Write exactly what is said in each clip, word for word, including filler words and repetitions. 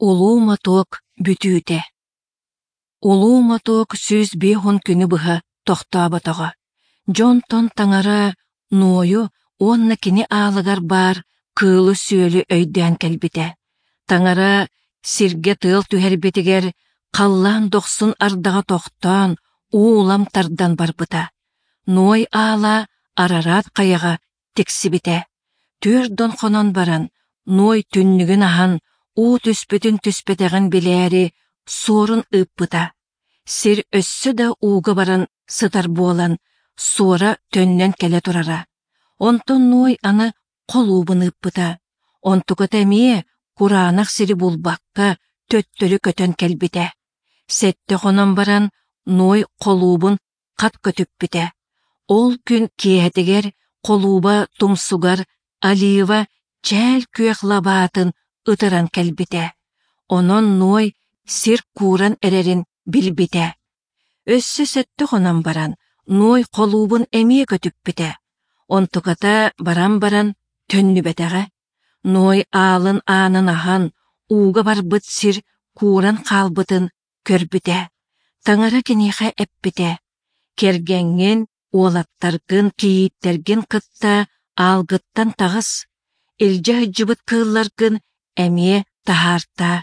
Улуу мотуок бүтүүтэ Улуу мотуок сүүс биэс уон күнү быһа тохтооботоҕо. Дьонтон таҥара Нуойу уонна кини аалыгар баар кыылы-сүөлү өйдөөн кэлбитэ. Таҥара сиргэ тыал түһэрбитигэр халлаан дохсун ардаҕа тохтоон, уу улам тардан барбыта. Ной аала Арарат хайаҕа тиксибитэ. Түөрт дон хонон баран, Ной түннүгүн аһан, уу түспүтүн-түспэтэҕин билээри суорун ыыппыта. Сир өссө да ууга баран сытар буолан, суора төннөн кэлэ турара. Онтон Ной аны холуубун ыыппыта. Онтуката эмиэ кураанах сири булбакка төттөрү көтөн кэлбитэ. Сэттэ хонон баран Ной холуубун хат көтүппүтэ. Ол күн киэһэтигэр холууба тумсугар олива чээл күөх лабаатын ытыран кэлбитэ. Онон Ной сир кууран эрэрин билбитэ. Өссө сэттэ хонон баран Ной холуубун эмиэ көтүппүтэ. Онтуката баран баран төннүбэтэҕэ. Ной аалын аанын аһан, ууга барбыт сир кууран хаалбытын көрбүтэ. Таҥара киниэхэ эппитэ: «Кэргэҥҥин, уолаттаргын, кийииттэргин кытта аалгыттан таҕыс, илдьэ сылдьыбыт кыылларгын эмиэ таһаартаа.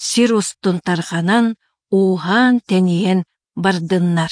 Сир устун тарҕанан, ууһаан-тэнийэн бардыннар».